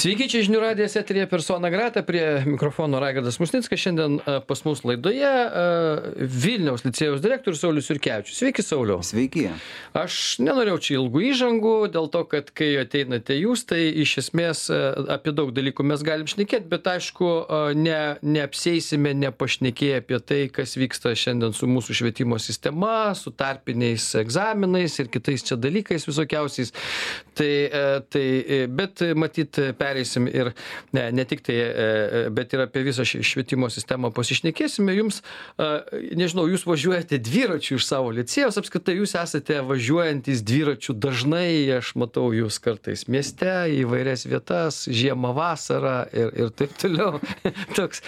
Sveiki, čia žinių radijas eteryje Persona Grata, prie mikrofono Raigardas Musnickas. Šiandien pas mus laidoje Vilniaus licėjaus direktorius Saulius Jurkevičius. Sveiki, Sauliau. Sveiki. Aš nenorėjau čia ilgų įžangų, dėl to, kad kai ateinate jūs, tai iš esmės apie daug dalykų mes galim šnekėti, bet aišku, neapsieisime nepašnekėję apie tai, kas vyksta šiandien su mūsų švietimo sistema, su tarpiniais egzaminais ir kitais čia dalykais visokiausiais. Bet matyt, pereisim ir ne tik tai, bet ir apie visą švietimo sistemą pasišnekėsime. Jums, nežinau, jūs važiuojate dviračiu iš savo licėjaus, apskritai jūs esate važiuojantis dviračiu dažnai, aš matau jūs kartais mieste, į įvairias vietas, žiemą, vasarą ir taip toliau. Toks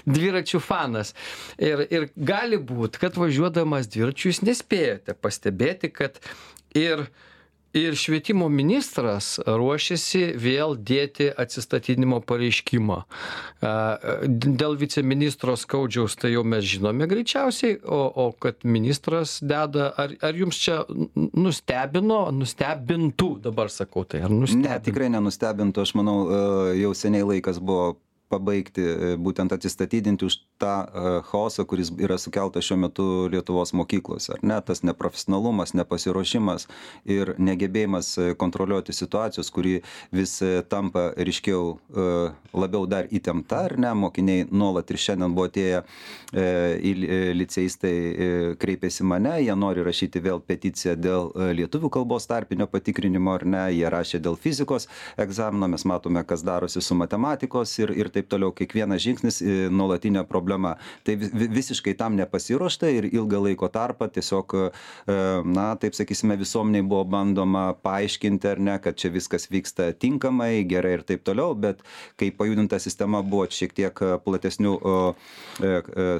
dviračių fanas. Ir gali būt, kad važiuodamas dviračiu jūs nespėjote pastebėti, kad ir švietimo ministras ruošiasi vėl dėti atsistatydinimo pareiškimą. Dėl viceministro Skaudžiaus tai jau mes žinome greičiausiai, o kad ministras deda, ar jums čia nustebintų, dabar sakau tai, ar nustebintų? Ne, tikrai nenustebintų, aš manau, jau seniai laikas buvo pabaigti, būtent atsistatydinti už tą chaosą, kuris yra sukeltas šiuo metu Lietuvos mokyklose. Ar ne? Tas neprofesionalumas, nepasiruošimas ir negebėjimas kontroliuoti situacijos, kuri vis tampa ryškiau labiau dar įtempta, ar ne? Mokiniai nuolat ir šiandien buvo atėję licėjistai kreipėsi mane, jie nori rašyti vėl peticiją dėl lietuvių kalbos tarpinio patikrinimo, ar ne? Jie rašė dėl fizikos egzamino, mes matome, kas darosi su matematikos ir taip toliau, kiekvienas žingsnis nuolatinė problema. Tai visiškai tam nepasiruošta ir ilgą laiko tarpą tiesiog, taip sakysime, visuomeniai buvo bandoma paaiškinti, ar ne, kad čia viskas vyksta tinkamai, gerai ir taip toliau, bet kai pajudinta sistema buvo šiek tiek platesnių,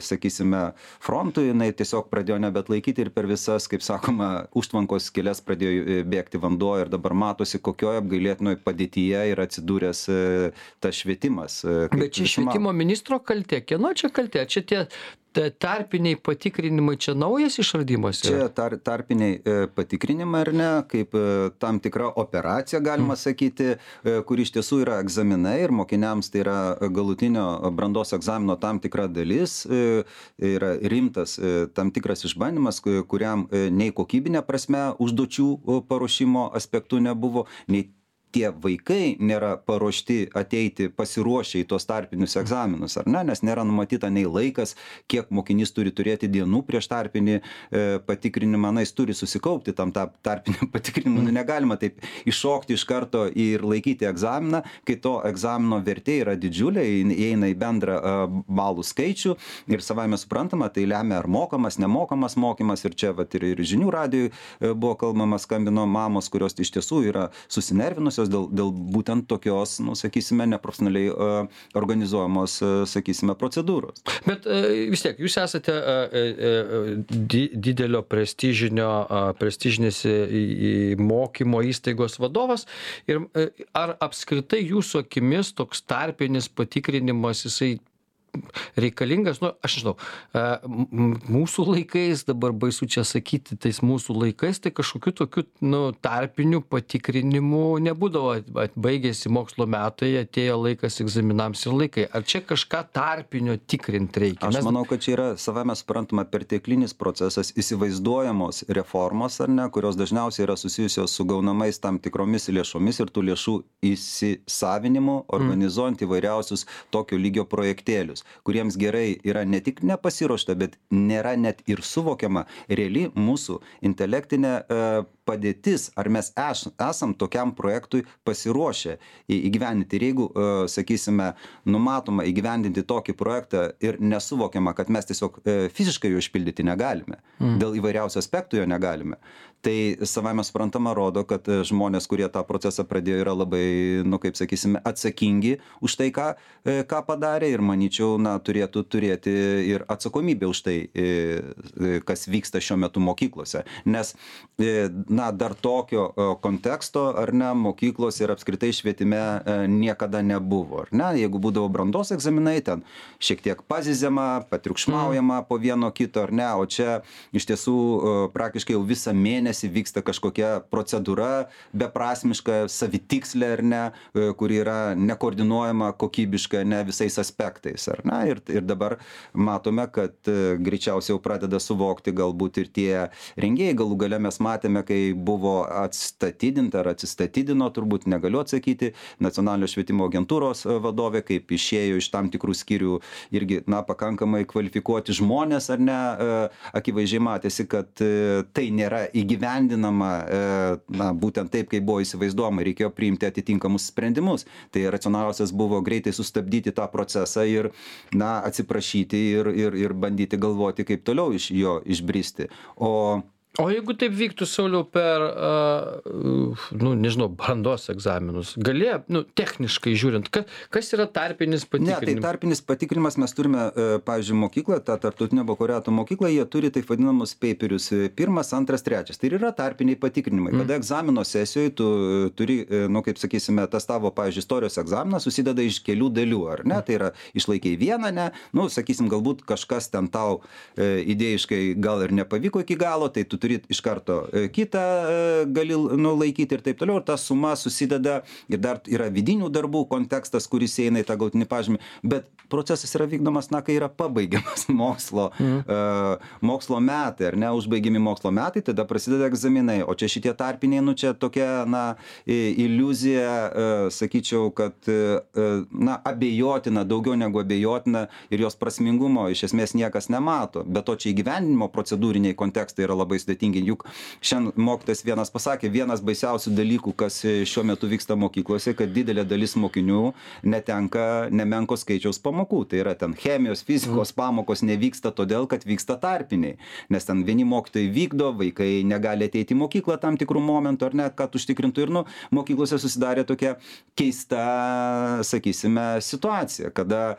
sakysime, frontų, jinai tiesiog pradėjo nebetlaikyti ir per visas, kaip sakoma, užtvankos skyles pradėjo bėgti vanduo ir dabar matosi, kokioje apgailėtinoje padėtyje yra atsidūręs tas švietimas. Bet čia švietimo ministro kaltė, kieno čia kaltė? Čia tie tarpiniai patikrinimai, čia naujas išradimas? Čia tarpiniai patikrinimai, ar ne, kaip tam tikra operacija, galima sakyti, kur iš tiesų yra egzaminai ir mokiniams tai yra galutinio brandos egzamino tam tikra dalis, yra rimtas tam tikras išbandymas, kuriam nei kokybinė prasme užduočių paruošimo aspektų nebuvo, nei tie vaikai nėra paruošti ateiti pasiruošę į tuos tarpinius egzaminus, ar ne, nes nėra numatyta nei laikas, kiek mokinys turi turėti dienų prieš tarpinį patikrinimą, jis turi susikaupti tam tarpinį patikrinimą, negalima taip iššokti iš karto ir laikyti egzaminą, kai to egzamino vertė yra didžiulė, įeina į bendrą balų skaičių ir savaime suprantama, tai lemia ar mokamas, nemokamas mokymas ir čia ir žinių radijui buvo kalbama, skambino mamos, kurios iš tiesų yra susinervinusios dėl būtent tokios, sakysime, neprofesionaliai organizuojamos, sakysime, procedūros. Bet vis tiek, jūs esate didelio prestižinės mokymo įstaigos vadovas ir ar apskritai jūsų akimis toks tarpinis patikrinimas, jisai reikalingas, aš žinau, mūsų laikais, dabar baisu čia sakyti, tais mūsų laikais, tai kažkokių tokių, tarpinių patikrinimų nebūdavo, baigėsi mokslo metai, atėjo laikas egzaminams ir laikai. Ar čia kažką tarpinio tikrinti reikia? Aš manau, kad čia yra savame suprantama perteklinis procesas, įsivaizduojamos reformos, ar ne, kurios dažniausiai yra susijusios su gaunamais tam tikromis lėšomis ir tų lėšų įsisavinimu, organizuojant įvairiausius tokio lygio projektėlius, kuriems gerai yra ne tik nepasiruošta, bet nėra net ir suvokiama reali mūsų intelektinė padėtis, ar mes esam tokiam projektui pasiruošę įgyvendinti. Ir jeigu, sakysime, numatoma įgyvendinti tokį projektą ir nesuvokiama, kad mes tiesiog fiziškai jo išpildyti negalime, dėl įvairiausių aspektų jo negalime, tai savame suprantama rodo, kad žmonės, kurie tą procesą pradėjo, yra labai, kaip sakysime, atsakingi už tai, ką padarė ir manyčiau, turėtų turėti ir atsakomybę už tai, kas vyksta šiuo metu mokyklose. Nes na, dar tokio konteksto, ar ne, mokyklos ir apskritai švietime niekada nebuvo, ar ne? Jeigu būdavo brandos egzaminai, ten šiek tiek pazizema, patriukšmaujama po vieno kito, ar ne, o čia iš tiesų praktiškai jau visą mėnesį vyksta kažkokia procedūra beprasmiška, savitikslė, ar ne, kuri yra nekoordinuojama kokybiška, ne visais aspektais, ar ne? Ir dabar matome, kad greičiausiai jau pradeda suvokti galbūt ir tie rengėjai. Galų gale mes matėme, kai buvo atstatydinta ar atsistatydino, turbūt negaliu atsakyti, Nacionalinio švietimo agentūros vadovė, kaip išėjo iš tam tikrų skyrių irgi, na, pakankamai kvalifikuoti žmonės, ar ne, akivaizdžiai matėsi, kad tai nėra įgyvendinama, na, būtent taip, kaip buvo įsivaizduojama, reikėjo priimti atitinkamus sprendimus. Tai racionaliausias buvo greitai sustabdyti tą procesą ir, na, atsiprašyti ir bandyti galvoti, kaip toliau iš jo išbristi. O jeigu taip vyktų, Sauliau, per, nu, nežinau, brandos egzaminus, galėjo, nu, techniškai žiūrint, kas yra tarpinis patikrinimas? Ne, tai tarpinis patikrinimas mes turime, pavyzdžiui, mokykloje, tą tarptautinio bakalaureato mokyklą, jie turi taip vadinamus paperius, 1, 2, 3. Tai yra tarpiniai patikrinimai. Kada egzamino sesijoje tu turi, nu, kaip sakysime, tas tavo, pavyzdžiui, istorijos egzaminas susideda iš kelių dalių, ar ne? Tai yra išlaikiai vieną, ne? Nu, sakysim, galbūt kažkas ten tau idėjiškai gal ir nepavyko iki galo, tai tu turi iš karto kitą gali laikyti ir taip toliau, ir ta suma susideda ir dar yra vidinių darbų kontekstas, kuris eina į tą galutinį pažymį, bet procesas yra vykdomas, na, kai yra pabaigiamas mokslo metai, ar ne, užbaigiami mokslo metai, tada prasideda egzaminai, o čia šitie tarpiniai, nu, čia tokia, na, iliuzija, sakyčiau, kad, na, abejotina, daugiau negu abejotina ir jos prasmingumo iš esmės niekas nemato, bet to čia įgyvendinimo procedūriniai kontekstai yra labai sudėtingi. Juk šiandien mokytojas vienas pasakė, vienas baisiausių dalykų, kas šiuo metu vyksta mokyklose, kad didelė dalis mokinių netenka nemenko skaičiaus pamokų. Tai yra ten chemijos, fizikos pamokos nevyksta todėl, kad vyksta tarpiniai. Nes ten vieni mokytojai vykdo, vaikai negali ateiti į mokyklą tam tikrų momentų, ar ne, kad užtikrintų. Ir, nu, mokyklose susidarė tokia keista, sakysime, situacija, kada,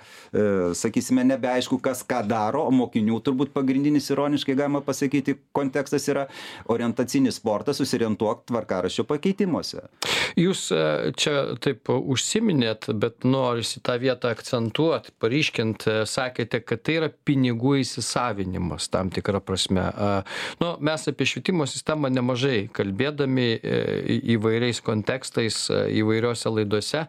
sakysime, nebeaišku, kas ką daro, o mokinių turbūt pagrindinis, ironiškai galima pasakyti, kontekstas yra orientacinis sportas, susiorientuok tvarkaraščio pakeitimuose. Jūs čia taip užsiminėt, bet norisi tą vietą akcentuoti, paryškint, sakėte, kad tai yra pinigų įsisavinimas tam tikrą prasme. Nu, mes apie švietimo sistemą nemažai kalbėdami įvairiais kontekstais, įvairiose laidose,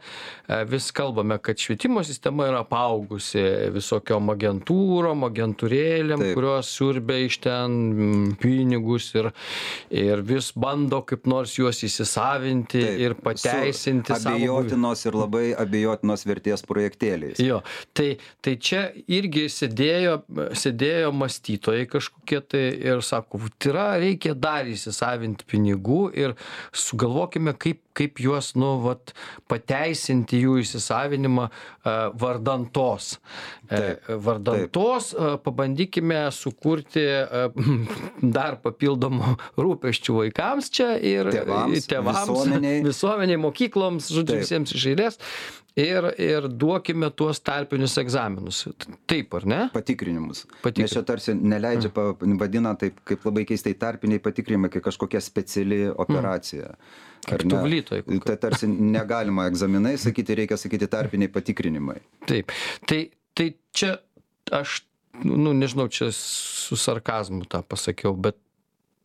vis kalbame, kad švietimo sistema yra apaugusi visokiom agentūrom, agentūrėlėm, kurios siurbia iš ten pinigus ir vis bando kaip nors juos įsisavinti. Taip, ir pateisinti abejotinos ir labai abejotinos vertės projektėliais. Jo, tai čia irgi sėdėjo mąstytojai kažkokie tai ir sako, reikia dar įsisavinti pinigų ir sugalvokime, kaip juos, nu, vat, pateisinti jų įsisavinimą vardantos. Vardantos pabandykime sukurti dar papildomų rūpesčių vaikams čia ir tėvams, visuomeniai, mokykloms, žodžiu, visiems iš eilės. Ir duokime tuos tarpinius egzaminus. Taip, ar ne? Patikrinimus. Nes čia tarsi neleidžia, vadina taip, kaip labai keistai tarpiniai patikrinimai, kai kažkokia speciali operacija. Kaip tuvlytoj. Tai tarsi negalima egzaminai sakyti, reikia sakyti tarpiniai patikrinimai. Taip. Tai čia aš, nu, nežinau, čia su sarkazmu tą pasakiau, bet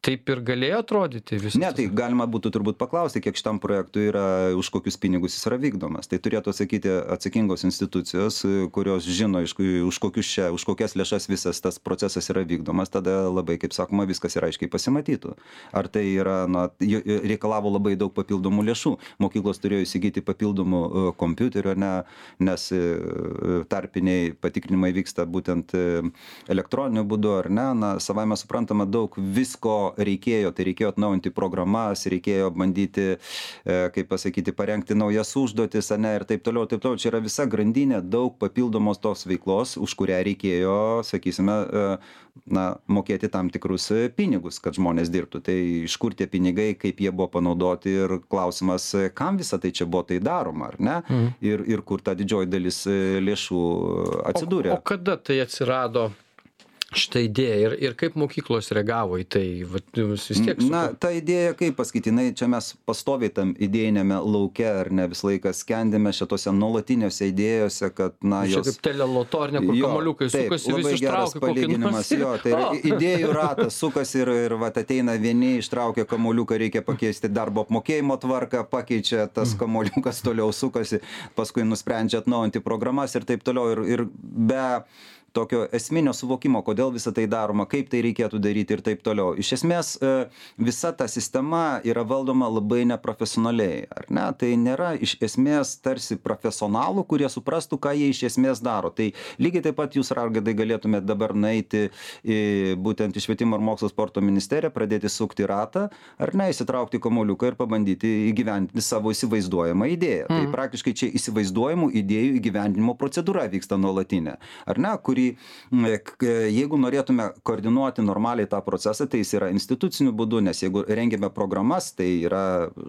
taip ir galėjo atrodyti viskas? Ne, tai galima būtų turbūt paklausti, kiek šitam projektui yra, už kokius pinigus jis yra vykdomas. Tai turėtų atsakyti atsakingos institucijos, kurios žino, už kokias lėšas visas tas procesas yra vykdomas, tada labai, kaip sakoma, viskas yra aiškiai pasimatytų. Ar tai yra, na, reikalavo labai daug papildomų lėšų. Mokyklos turėjo įsigyti papildomų kompiuterių, ne, nes tarpiniai patikrinimai vyksta būtent elektroniniu būdu, ar ne, na, savaime suprantama, daug visko reikėjo, tai reikėjo atnaujinti programas, reikėjo bandyti, kaip pasakyti, parengti naujas užduotis, ne, ir taip toliau, taip toliau. Čia yra visa grandinė, daug papildomos tos veiklos, už kurią reikėjo, sakysime, na, mokėti tam tikrus pinigus, kad žmonės dirbtų. Tai iš kur tie pinigai, kaip jie buvo panaudoti ir klausimas, kam visą tai čia buvo tai daroma, ar ne? Ir kur ta didžioji dalis lėšų atsidūrė. O kada tai atsirado? šitą idėją ir kaip mokyklos reagavo į tai? Vat vis tiek Na, ta idėja, kaip pasakyti, čia mes pastoviai tam idėjinėme lauke, ar ne, visą laiką skendėme šitose nuolatinėse idėjose, kad, na, Čia kaip telelotornė, kur kamuoliukai sukasi, vis ištraukia kokį nors. Jo, tai yra idėjų ratas sukasi ir vat ateina vieni, ištraukia kamuoliuką, reikia pakeisti darbo apmokėjimo tvarką, pakeičia tas kamuoliukas, toliau sukasi, paskui nusprendžia atnaujinti programas ir taip toliau. Ir be tokio esminio suvokimo, kodėl visą tai daroma, kaip tai reikėtų daryti ir taip toliau. Iš esmės, visa ta sistema yra valdoma labai neprofesionaliai, ar ne? Tai nėra iš esmės tarsi profesionalų, kurie suprastų, ką jie iš esmės daro. Tai lygiai taip pat jūs, Raigardai, galėtumėte dabar nueiti būtent į Švietimo ir mokslo sporto ministeriją, pradėti sukti ratą, ar ne, įsitraukti kamuoliuką ir pabandyti įgyvendinti savo įsivaizduojamą idėją. Tai praktiškai čia įsivaizduojamų idėjų įgyvendinimo procedūra vyksta nuolatinė, ar ne, kuri jeigu norėtume koordinuoti normaliai tą procesą, tai jis yra instituciniu būdu, nes jeigu rengiame programas, tai yra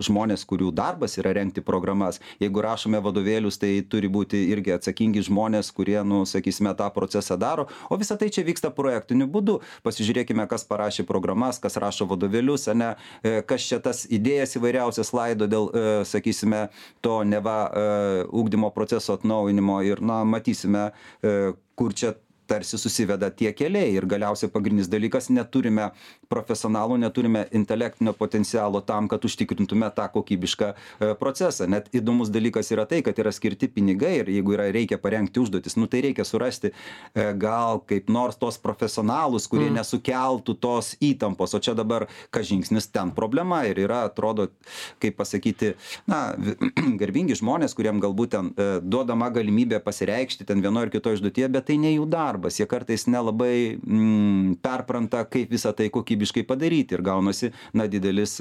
žmonės, kurių darbas yra rengti programas. Jeigu rašome vadovėlius, tai turi būti irgi atsakingi žmonės, kurie, sakysime, tą procesą daro. O visa tai čia vyksta projektiniu būdu. Pasižiūrėkime, kas parašė programas, kas rašo vadovėlius, ne, kas čia tas idėjas įvairiausias laido dėl, sakysime, to neva ugdymo proceso atnaujinimo ir, matysime, kur čia tarsi susiveda tie keliai ir galiausiai pagrindinis dalykas, neturime profesionalų, neturime intelektinio potencialo tam, kad užtikrintume tą kokybišką procesą. Net įdomus dalykas yra tai, kad yra skirti pinigai ir jeigu reikia parengti užduotis, tai reikia surasti gal kaip nors tos profesionalus, kurie nesukeltų tos įtampos, o čia dabar kas žingsnis ten problema ir yra, atrodo, kaip pasakyti, garbingi žmonės, kuriem galbūt ten duodama galimybė pasireikšti ten vienoje ir kitoje užduotyje, bet tai ne jų darbas, jie kartais nelabai perpranta, kaip visą tai kokybiškai padaryti ir gaunasi, didelis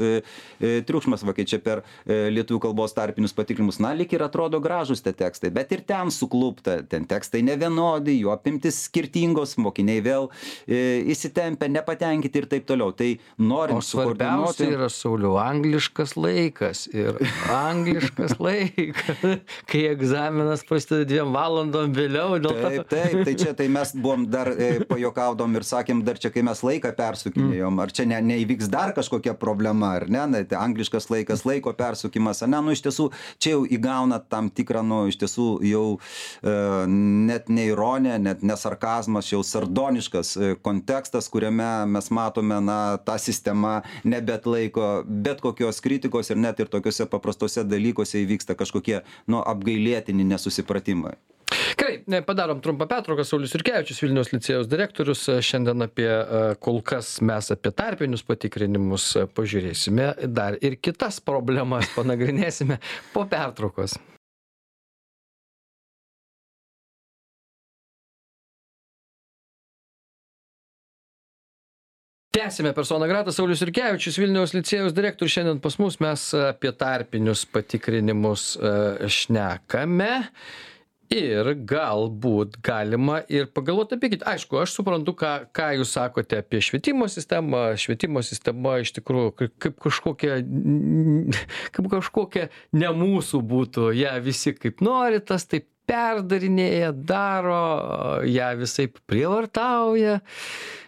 triukšmas, va, kai čia per lietuvių kalbos tarpinius patikrinimus, lyg ir atrodo gražus tie tekstai, bet ir ten suklupta, ten tekstai nevienodi, jų apimtis skirtingos, mokiniai vėl įsitempia, nepatenkinti ir taip toliau. Tai norint sukoordinuoti. Svarbiausia yra, Sauliau, angliškas laikas ir angliškas laikas, kai egzaminas prasideda 2 valandom vėliau. Taip, tai čia tai mes buvom dar pajuokaudom ir sakėm, dar čia, kai mes laiką persukinėjom, ar čia neįvyks dar kažkokia problema, ar ne, tai angliškas laikas, laiko persukimas, iš tiesų, čia jau įgauna tam tikrą, iš tiesų jau net ne ironija, net ne sarkazmas, jau sardoniškas kontekstas, kuriame mes matome, tą sistemą nebeatlaiko bet kokios kritikos ir net ir tokiuose paprastose dalykuose įvyksta kažkokie, apgailėtini nesusipratimai. Gerai, padarom trumpą pertrauką. Saulius Jurkevičius, Vilniaus licėjaus direktorius. Šiandien kol kas mes apie tarpinius patikrinimus pažiūrėsime, dar ir kitas problemas panagrinėsime po pertraukos. Tęsime persona grata. Saulius Jurkevičius, Vilniaus licėjaus direktorius. Šiandien pas mus mes apie tarpinius patikrinimus šnekame. Ir galbūt galima ir pagalvoti apie kitą. Aišku, aš suprantu, ką jūs sakote apie švietimo sistemą. Švietimo sistema iš tikrųjų kaip kažkokia ne mūsų būtų. Ja visi kaip nori, tas taip perdarinėja, daro, ją visaip prievartauja.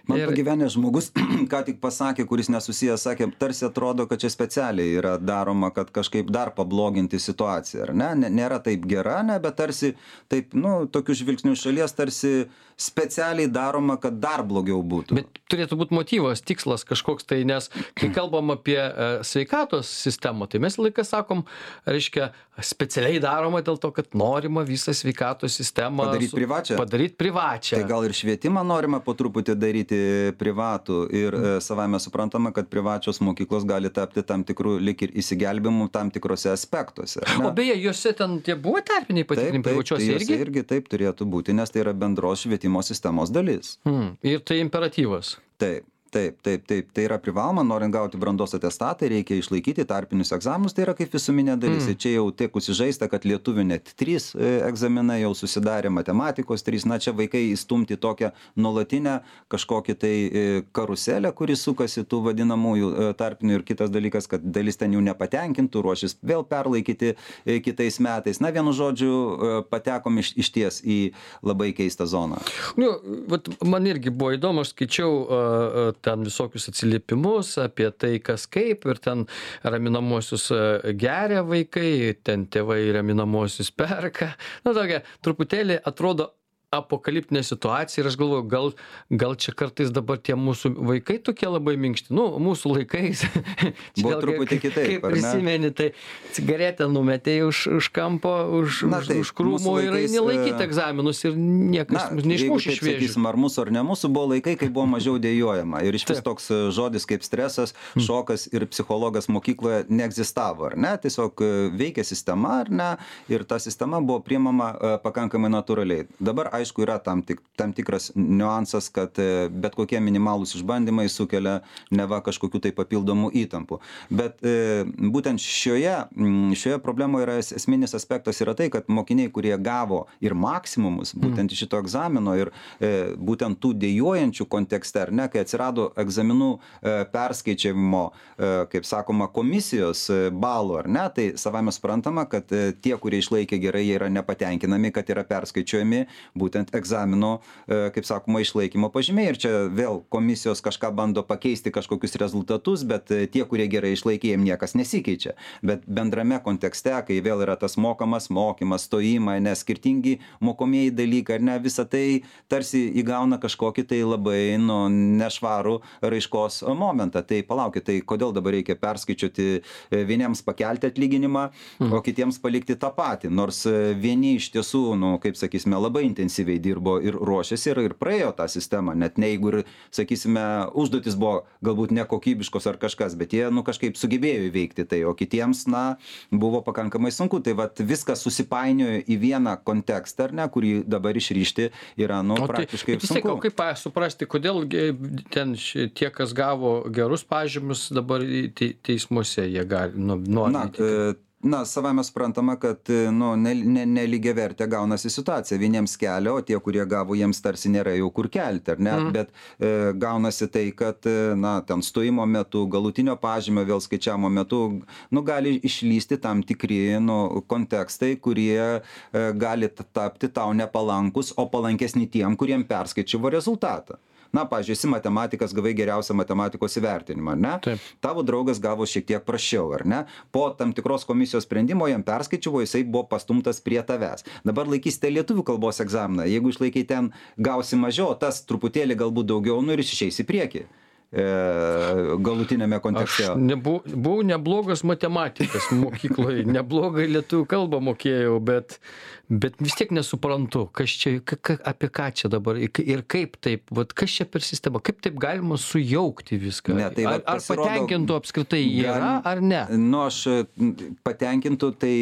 Man pagyvenęs žmogus, ką tik pasakė, kuris nesusijęs, sakė, tarsi atrodo, kad čia specialiai yra daroma, kad kažkaip dar pabloginti situaciją, ar ne? Nėra taip gera, bet tarsi taip, tokių žvilgsnių šalies tarsi specialiai daroma, kad dar blogiau būtų. Bet turėtų būti motyvas, tikslas kažkoks tai, nes kai kalbam apie sveikatos sistemą, tai mes laiką sakom, reiškia, specialiai daroma dėl to, kad norima visą sveikatos sistemą padaryti privačią. Tai gal ir švietimą norima po truputį daryti privatų ir savame suprantama, kad privačios mokyklos gali tapti tam tikrų lik ir įsigelbimų tam tikrose aspektuose. O beje, juose ten tie buvo tarpiniai patikrinimai privačiose irgi? Irgi taip turėtų būti, nes tai yra bendros švietimo sistemos dalis. Ir tai imperatyvas. Taip. Taip, tai yra privaloma, norint gauti brandos atestatą, reikia išlaikyti tarpinius egzaminus, tai yra kaip visuminė dalis. Čia jau tiek užsižaista, kad lietuvių net 3 egzaminai jau susidarė, matematikos 3, na čia vaikai įstumti tokią nuolatinę kažkokį tai karuselę, kuri sukasi tų vadinamųjų tarpinių, ir kitas dalykas, kad dalis ten jų nepatenkintų, ruošis vėl perlaikyti kitais metais. Na, vienu žodžiu, patekom iš ties į labai keistą zoną. Vat man irgi buvo įdomu, aš skaičiau ten visokius atsiliepimus apie tai, kas kaip, ir ten raminamosius geria vaikai, ten tėvai raminamosius perka. Na, tokia truputėlį atrodo apokaliptinė situacija, ir aš galvoju, gal čia kartais dabar tie mūsų vaikai tokie labai minkšti. Nu, mūsų laikais. Buvo truputį kitaip, kaip prisimeni, tai cigaretę numetė už kampo, už krūmų ir eini laikyti egzaminus ir niekas neišmuš iš vėžių. Sakysim, ar mūsų ar ne mūsų, buvo laikai, kai buvo mažiau dėjojama. Ir iš vis toks žodis kaip stresas, šokas ir psichologas mokykloje neegzistavo, ar ne? Tiesiog veikia sistema, ar ne? Ir ta sistema buvo priimama pakankamai natūraliai. Dabar, aišku, yra tam tikras niuansas, kad bet kokie minimalūs išbandymai sukelia neva kažkokių tai papildomų įtampų. Bet būtent šioje problemoje yra esminis aspektas yra tai, kad mokiniai, kurie gavo ir maksimumus būtent iš šito egzamino ir būtent tų dėjojančių kontekste, ar ne, kai atsirado egzaminų perskaičiavimo, kaip sakoma, komisijos balų, ar ne, tai savame suprantama, kad tie, kurie išlaikė gerai, jie yra nepatenkinami, kad yra perskaičiuojami būtent egzamino, kaip sakoma, išlaikymo pažymiai. Ir čia vėl komisijos kažką bando pakeisti kažkokius rezultatus, bet tie, kurie gerai išlaikė, jiem niekas nesikeičia. Bet bendrame kontekste, kai vėl yra tas mokomas mokymas, stojimai, nes skirtingi mokomieji dalykai, ar ne, visa tai tarsi įgauna kažkokį tai labai nešvarų raiškos momentą. Tai palaukit, tai kodėl dabar reikia perskaičiuoti, vieniems pakelti atlyginimą, o kitiems palikti tą patį. Nors vieni iš tiesų, kaip sakysime, labai intensyviai dirbo ir ruošėsi ir praėjo tą sistemą, net ne jeigu ir, sakysime, užduotis buvo galbūt nekokybiškos ar kažkas, bet jie, kažkaip sugebėjo įveikti tai, o kitiems, buvo pakankamai sunku. Tai vat viskas susipainiojo į vieną kontekstą, ar ne, kurį dabar išryšti yra, praktiškai sunku. Kaip suprasti, kodėl ten tie, kas gavo gerus pažymius, dabar teismuose jie gali, savame suprantama, kad nelygiavertė gaunasi situacija. Vieniems kelia, o tie, kurie gavo, jiems tarsi nėra jau kur kelti, ar ne? Bet gaunasi tai, kad ten stojimo metu, galutinio pažymio vėl skaičiavimo metu, gali išlysti tam tikri kontekstai, kurie gali tapti tau nepalankus, o palankesni tiem, kuriem perskaičiavo rezultatą. Pavyzdžiui, esi matematikas, gavai geriausią matematikos įvertinimą, ar ne? Taip. Tavo draugas gavo šiek tiek prasčiau, ar ne? Po tam tikros komisijos sprendimo jam perskaičiavo, jisai buvo pastumtas prie tavęs. Dabar laikysite lietuvių kalbos egzaminą, jeigu išlaikai ten gausi mažiau, tas truputėlį galbūt daugiau, ir išeis į priekį galutinėme kontekste. Aš buvau neblogas matematikas mokykloje, neblogai lietuvių kalbą mokėjau, bet vis tiek nesuprantu, kas čia, apie ką čia dabar ir kaip taip, kas čia per sistema, kaip taip galima sujaukti viską. Ar patenkintų apskritai yra, ar ne? Aš patenkintų, tai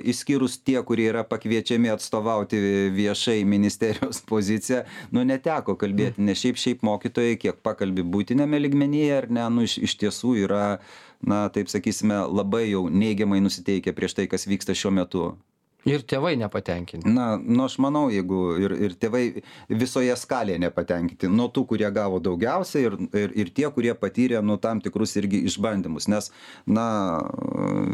išskyrus tie, kurie yra pakviečiami atstovauti viešai ministerijos poziciją, neteko kalbėti, nes šiaip mokytojai, kiek pakalbi būtinėme lygmenyje, ar ne, iš tiesų yra, taip sakysime, labai jau neigiamai nusiteikę prieš tai, kas vyksta šiuo metu. Ir tėvai nepatenkinti. Aš manau, jeigu ir tėvai visoje skalėje nepatenkinti, nuo tų, kurie gavo daugiausiai ir tie, kurie patyrė tam tikrus irgi išbandymus. Nes,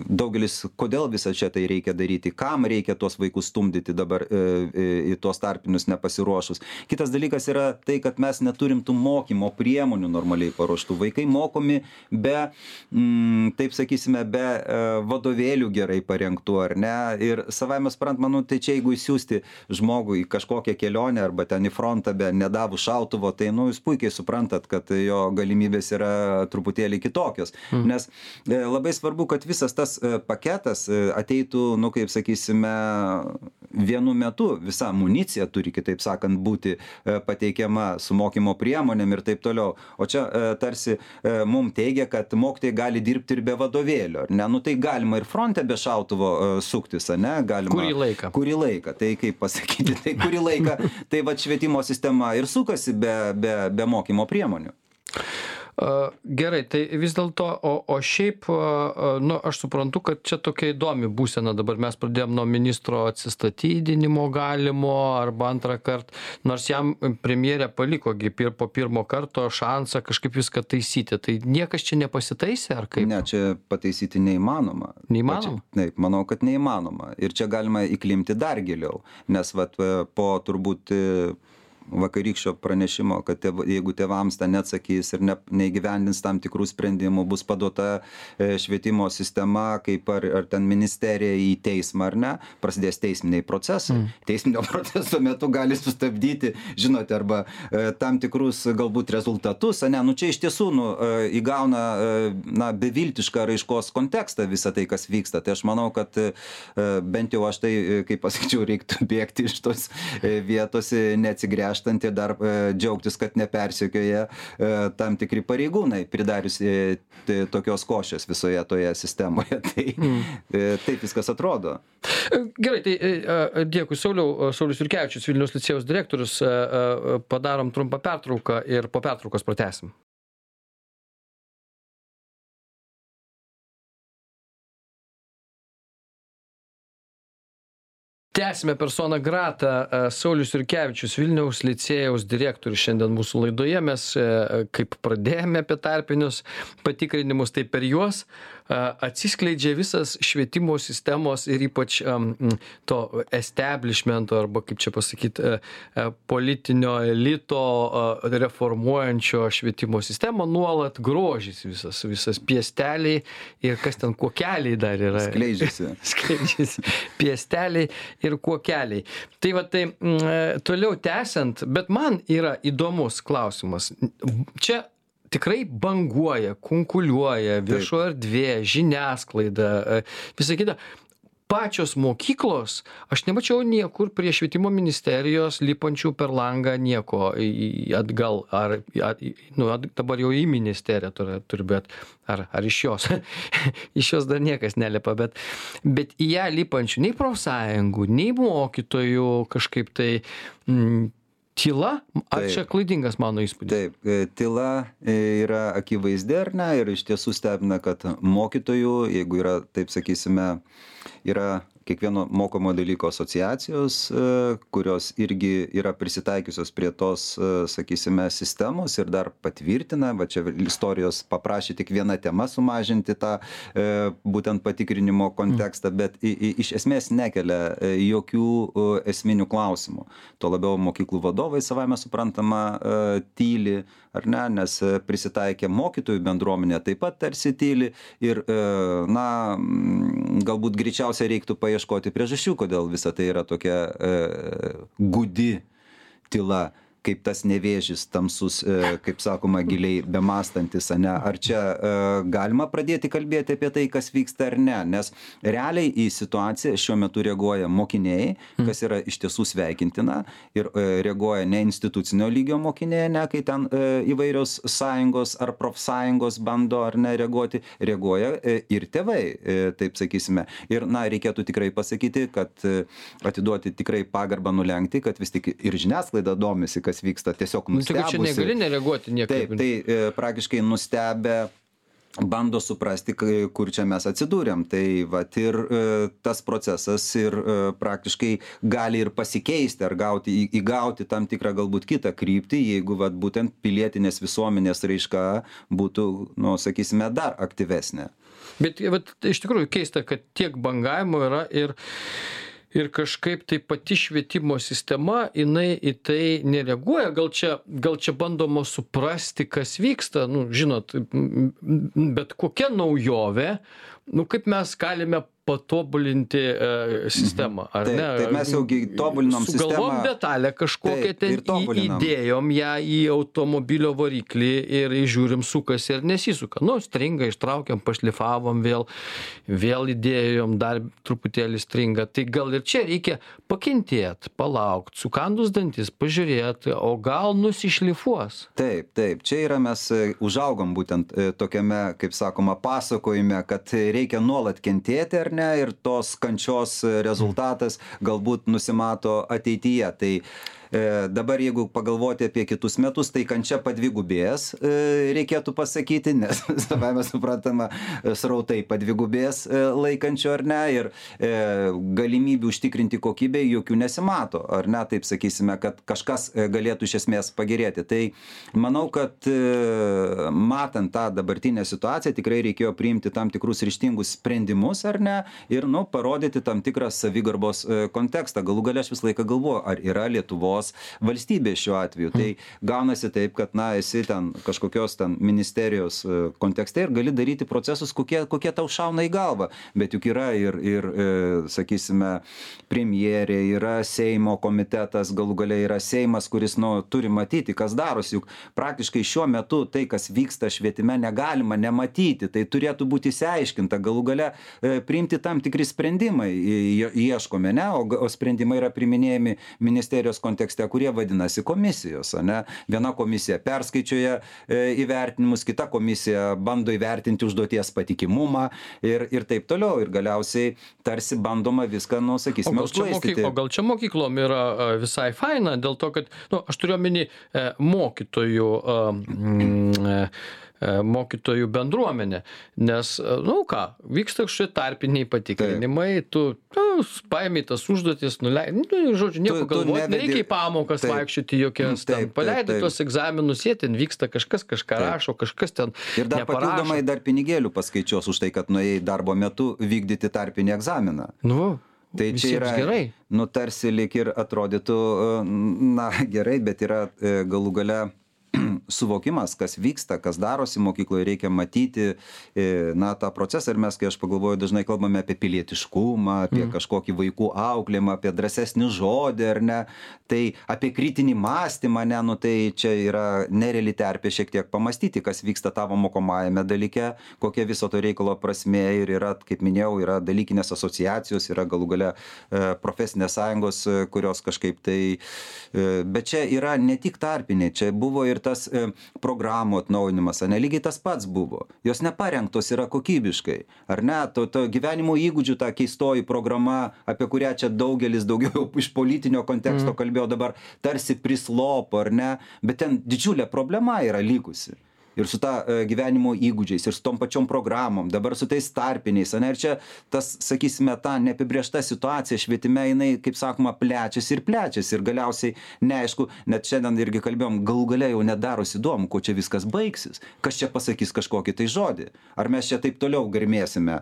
daugelis, kodėl visą čia tai reikia daryti, kam reikia tuos vaikus stumdyti dabar į tuos tarpinius nepasiruošus. Kitas dalykas yra tai, kad mes neturim tų mokymo priemonių normaliai paruoštų. Vaikai mokomi be, taip sakysime, be vadovėlių gerai parengtų, ar ne? Ir savame suprantama, tai čia jeigu įsiųsti žmogų į kažkokią kelionę arba ten į frontą be nedavų šautuvo, tai jūs puikiai suprantat, kad jo galimybės yra truputėlį kitokios. Nes labai svarbu, kad visas tas paketas ateitų, kaip sakysime, vienu metu. Visa amunicija turi, kitaip sakant, būti pateikiama su mokymo priemonėm ir taip toliau. O čia tarsi mums teigia, kad mokytojai gali dirbti ir be vadovėlio. Tai galima ir fronte be šautuvo suktis, ne? Kurį laiką, tai kaip pasakyti, tai kurį laiką, tai švietimo sistema ir sukasi be mokymo priemonių. Gerai, tai vis dėlto, o šiaip, nu, aš suprantu, kad čia tokia įdomi būsena. Dabar mes pradėjom nuo ministro atsistatydinimo galimo arba antrą kartą, nors jam premjerė palikogi po pirmo karto šansą kažkaip viską taisyti. Tai niekas čia nepasitaisė, ar kaip? Ne, čia pataisyti neįmanoma. Neįmanoma? Taip, manau, kad neįmanoma. Ir čia galima įklimti dar giliau, nes po turbūt vakarykščio pranešimo, kad jeigu tėvams ten neatsakys ir neįgyvendins tam tikrų sprendimų, bus paduota švietimo sistema, kaip ar ten ministerija į teismą ar ne, prasidės teisminiai procesai. Teisminio proceso metu gali sustabdyti, žinote, arba tam tikrus galbūt rezultatus, ne, nu čia iš tiesų įgauna beviltišką raiškos kontekstą visą tai, kas vyksta. Tai aš manau, kad bent jau aš tai, kaip pasakyčiau, reiktų bėgti iš tos vietos, neatsigręžti ir dar džiaugtis, kad nepersekioja tam tikri pareigūnai, pridariusi tokios košės visoje toje sistemoje. Tai taip viskas atrodo. Gerai, tai dėkui, Saulius Jurkevičius, Vilniaus licėjaus direktorius. Padarom trumpą pertrauką ir po pertraukos pratęsim. Tęsime persona grata. Saulius Jurkevičius, Vilniaus licėjaus direktorius, šiandien mūsų laidoje. Mes kaip pradėjome apie tarpinius patikrinimus, tai per juos atsiskleidžia visas švietimo sistemos ir ypač to establishmento, arba kaip čia pasakyti, politinio elito reformuojančio švietimo sistemą nuolat grožisi visas piesteliai ir kas ten kuokeliai dar yra. Skleidžiasi. Piesteliai ir kuokeliai. Tai va tai toliau tęsiant, bet man yra įdomus klausimas. Čia tikrai banguoja, kunkuliuoja viešo erdvė, žiniasklaida, visa kita. Pačios mokyklos, aš nemačiau niekur prie švietimo ministerijos lipančių per langą nieko atgal, dabar jau į ministeriją turi, bet ar iš jos. Iš jos dar niekas nelipa, bet į ją lipančių nei profsąjungų, nei mokytojų kažkaip tai tyla, ar čia klaidingas mano įspūdis? Taip, tyla yra akivaizdi, ar ne, ir iš tiesų stebina, kad mokytojų, jeigu yra, taip sakysime, yra kiekvieno mokomo dalyko asociacijos, kurios irgi yra prisitaikiusios prie tos, sakysime, sistemos ir dar patvirtina, va čia istorijos paprašė tik viena tema sumažinti tą būtent patikrinimo kontekstą, bet iš esmės nekelia jokių esminių klausimų. Tuo labiau mokyklų vadovai savame suprantama tyli, ar ne, nes prisitaikė mokytojų bendruomenė taip pat tarsi tyli ir, galbūt greičiausiai reiktų paieškoti priežasčių, kodėl visa tai yra tokia gūdi tyla, kaip tas nevėžis tamsus, kaip sakoma, giliai bemastantis, ane? Ar čia galima pradėti kalbėti apie tai, kas vyksta ar ne? Nes realiai į situaciją šiuo metu reaguoja mokiniai, kas yra iš tiesų sveikintina, ir reaguoja ne institucinio lygio mokiniai, ne, kai ten įvairios sąjungos ar profsąjungos bando ar ne reaguoti, reaguoja ir tėvai, taip sakysime. Ir, reikėtų tikrai pasakyti, kad atiduoti tikrai pagarbą nulenkti, kad vis tik ir žiniasklaida domisi, kas vyksta, tiesiog nustebusi. Čia negali nereaguoti niekaip. Taip, tai praktiškai nustebę bando suprasti, kur čia mes atsidūrėm. Tai vat ir tas procesas ir praktiškai gali ir pasikeisti ar įgauti tam tikrą galbūt kitą kryptį, jeigu vat būtent pilietinės visuomenės raiška būtų, sakysime, dar aktyvesnė. Bet iš tikrųjų keista, kad tiek bangavimo yra ir kažkaip tai pati švietimo sistema, jinai į tai nereaguoja. Gal čia bandoma suprasti, kas vyksta, žinot, bet kokia naujovė, kaip mes galime patobulinti sistemą, ar ne? Taip, mes jau tobulinom sistemą. Sugalvom detalę kažkokią ten, įdėjom ją į automobilio variklį ir žiūrim, sukasi ir nesisuka. Stringa, ištraukiam, pašlifavom, vėl įdėjom, dar truputėlį stringa. Tai gal ir čia reikia pakentėti, palaukti, sukandus dantis, pažiūrėti, o gal nusišlifuos. Taip, čia yra mes užaugom būtent tokiame, kaip sakoma, pasakojime, kad reikia nuolat kentėti, ar ne, ir tos kančios rezultatas galbūt nusimato ateityje. Tai Dabar jeigu pagalvoti apie kitus metus, tai kančia padvigubės, reikėtų pasakyti, nes savame suprantama, srautai padvigubės laikančio ar ne, ir galimybių užtikrinti kokybę jokių nesimato, ar ne, taip sakysime, kad kažkas galėtų iš esmės pagerėti. Tai manau, kad matant tą dabartinę situaciją, tikrai reikėjo priimti tam tikrus ryžtingus sprendimus, ar ne, ir parodyti tam tikrą savigarbos kontekstą. Galų gale aš visą laiką galvoju, ar yra Lietuvos valstybė šiuo atveju. Tai gaunasi taip, kad esi ten kažkokios ten ministerijos kontekste ir gali daryti procesus, kokie tau šauna į galvą. Bet juk yra ir sakysime, premjerė, yra Seimo komitetas, galų gale yra Seimas, kuris turi matyti, kas darosi. Juk praktiškai šiuo metu tai, kas vyksta švietime, negalima nematyti. Tai turėtų būti išsiaiškinta. Galų gale priimti tam tikri sprendimai ieškome, ne? O sprendimai yra priminėjami ministerijos kontekste, kurie vadinasi komisijos, ne? Viena komisija perskaičiuoja įvertinimus, kita komisija bando įvertinti užduoties patikimumą ir taip toliau. Ir galiausiai tarsi bandoma viską, sakysime, užglaistyti. O gal čia mokyklom yra visai faina, dėl to, kad, aš turiu omeny mokytojų bendruomenė, nes, vyksta kažkokie tarpiniai patikrinimai, tu paėmė tas užduotis, žodžiu, nieko galvoti, nereikia į pamokas vaikščioti jokias, paleidai tuos egzaminus, jie ten vyksta, kažkas kažką rašo, kažkas ten ir dar papildomai dar pinigėlių paskaičios už tai, kad nuėjai darbo metu vykdyti tarpinį egzaminą. Tai čia yra gerai. Tarsi lyg ir atrodytų, gerai, bet yra galų gale suvokimas, kas vyksta, kas darosi mokykloje, reikia matyti tą procesą. Ir mes, kai aš pagalvoju, dažnai kalbame apie pilietiškumą, apie kažkokį vaikų auklėjimą, apie drąsesnį žodį, ar ne, tai apie kritinį mąstymą, tai čia yra nereali terpė šiek tiek pamastyti, kas vyksta tavo mokomajame dalyke, kokia viso to reikalo prasmė ir yra, kaip minėjau, yra dalykinės asociacijos, yra galų gale profesinės sąjungos, kurios kažkaip tai, bet čia yra ne tik tarpiniai, čia buvo ir tas programų atnaujinimas, lygiai tas pats buvo. Jos neparengtos yra kokybiškai. Ar ne? To gyvenimo įgūdžių ta keistoji programa, apie kurią čia daugelis daugiau iš politinio konteksto kalbėjo dabar, tarsi prislopo, ar ne? Bet ten didžiulė problema yra likusi. Ir su ta gyvenimo įgūdžiais, ir su tom pačiom programom, dabar su tais tarpiniais. Ir čia tas, sakysime, ta neapibrėžta situacija švietime, jinai, kaip sakoma, plečiasi. Ir galiausiai, neaišku, net šiandien irgi kalbėjom, galų gale jau nedarosi įdomu, ko čia viskas baigsis. Kas čia pasakys kažkokį tai žodį. Ar mes čia taip toliau garmėsime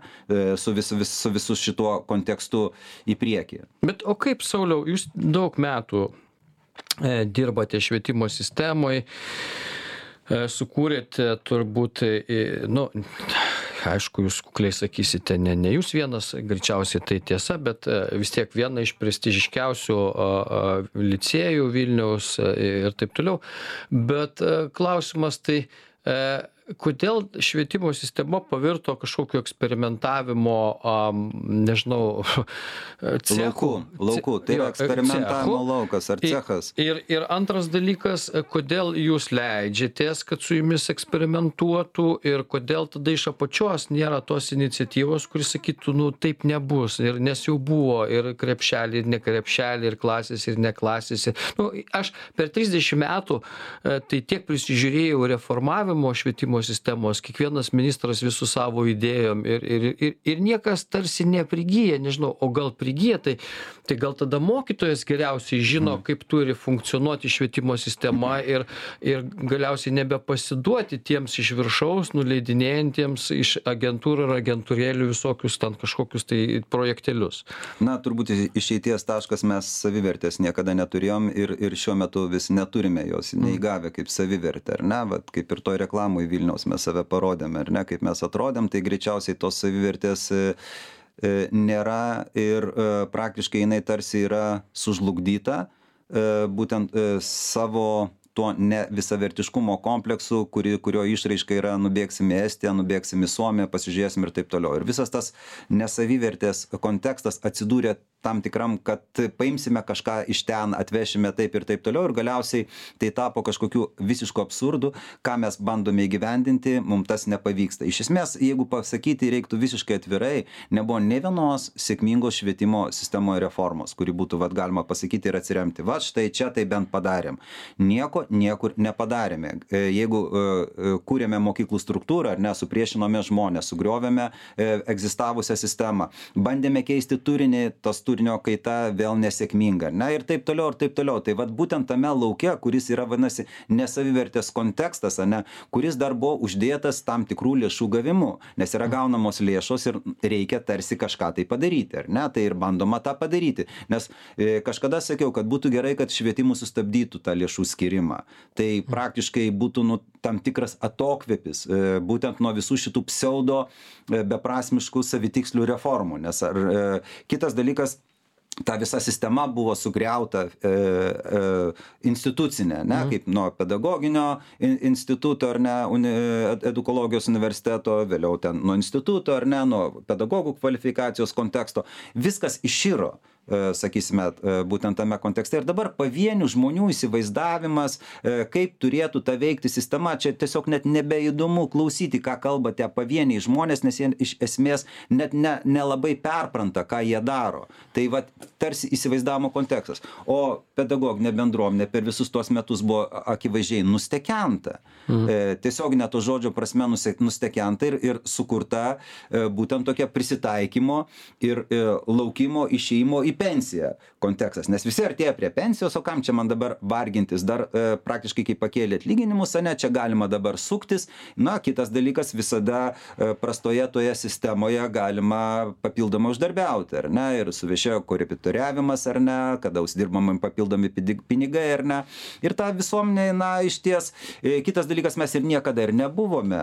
su visu šituo kontekstu į priekį. Bet o kaip, Sauliau, jūs daug metų dirbate švietimo sistemoje, sukūrėte turbūt, aišku, jūs kukliai sakysite, ne jūs vienas, greičiausiai tai tiesa, bet vis tiek viena iš prestižiškiausių licėjų Vilniaus ir taip toliau. Bet klausimas tai, kodėl švietimo sistema pavirto kažkokiu eksperimentavimo, nežinau, cechu. Lauku, tai yra eksperimentavimo laukas ar cechas. Ir antras dalykas, kodėl jūs leidžiatės, kad su jumis eksperimentuotų ir kodėl tada iš apačios nėra tos iniciatyvos, kuris sakytų, taip nebus, ir nes jau buvo ir krepšelį, ir ne krepšelį, ir klasės, ir ne klasės. Aš per 30 metų tai tiek prisižiūrėjau reformavimo švietimo sistemos, kiekvienas ministras visų savo idėjom ir niekas tarsi neprigyja, nežinau, o gal prigyja, tai gal tada mokytojas geriausiai žino, kaip turi funkcionuoti švietimo sistema ir galiausiai nebepasiduoti tiems iš viršaus, nuleidinėjantiems iš agentūrų ir agentūrėlių visokius ten kažkokius tai projektelius. Turbūt išeities taškas mes savivertės niekada neturėjom ir šiuo metu vis neturime jos neįgavę kaip savivertę, ar ne, kaip ir toj reklamoj Vilniaus mes save parodėme, ar ne, kaip mes atrodėm, tai greičiausiai tos savivertės nėra ir praktiškai jinai tarsi yra sužlugdyta, būtent savo tuo nevisavertiškumo kompleksu, kurio išraiška yra nubėgsim į Estiją, nubėgsim į Suomiją, pasižiūrėsim ir taip toliau. Ir visas tas nesavivertės kontekstas atsidūrė tam tikram, kad paimsime kažką iš ten, atvešime taip ir taip toliau ir galiausiai tai tapo kažkokiu visišku absurdu, ką mes bandome įgyvendinti, mums tas nepavyksta. Iš esmės, jeigu pasakyti reiktų visiškai atvirai, nebuvo ne vienos sėkmingos švietimo sistemoje reformos, kuri būtų galima pasakyti ir atsiremti. Štai čia tai bent padarėm. Nieko niekur nepadarėme. Jeigu kūrėme mokyklų struktūrą, ar ne, supriešinome žmonės, sugriovėme egzistavusią sistemą, bandėme keisti turinį, tas turinio kaita vėl nesėkminga, ne, ir taip toliau, ir taip toliau. Tai būtent tame lauke, kuris yra, vadinasi, nesavivertės kontekstas, ne, kuris dar buvo uždėtas tam tikrų lėšų gavimu, nes yra gaunamos lėšos ir reikia tarsi kažką tai padaryti, ar ne, tai ir bandoma tą padaryti. Nes kažkada sakiau, kad būtų gerai, kad švietimus sustabdytų tą lėšų skirimą. Tai praktiškai būtų tam tikras atokvėpis, būtent nuo visų šitų pseudo beprasmiškų savitikslių reformų. Nes kitas dalykas, ta visa sistema buvo sugriauta institucinė, ne, kaip nuo pedagoginio instituto, ar ne, edukologijos universiteto, vėliau ten nuo instituto, ar ne, nuo pedagogų kvalifikacijos konteksto. Viskas iširo, sakysime, būtent tame kontekste. Ir dabar pavienių žmonių įsivaizdavimas, kaip turėtų ta veikti sistema, čia tiesiog net nebeįdomu klausyti, ką kalba tie pavieniai žmonės, nes jie iš esmės net nelabai perpranta, ką jie daro. Tai tarsi įsivaizdavimo kontekstas. O pedagoginė bendruomenė per visus tuos metus buvo akivaizdžiai nustekenta. Tiesiog net to žodžio prasme nustekenta ir sukurta būtent tokia prisitaikymo ir laukimo išėjimo į pensiją kontekstas. Nes visi artėja prie pensijos, o kam čia man dabar vargintis? Dar praktiškai kaip pakėlė atlyginimus, ne, čia galima dabar suktis. Na, kitas dalykas, visada prastoje toje sistemoje galima papildomai uždarbiauti, ar ne, ir suvešėjo korepetitoriavimas, ar ne, kada uždirbamai papildomi pinigai, ar ne. Ir ta visuomenė, na, iš ties, kitas dalykas, mes ir niekada ir nebuvome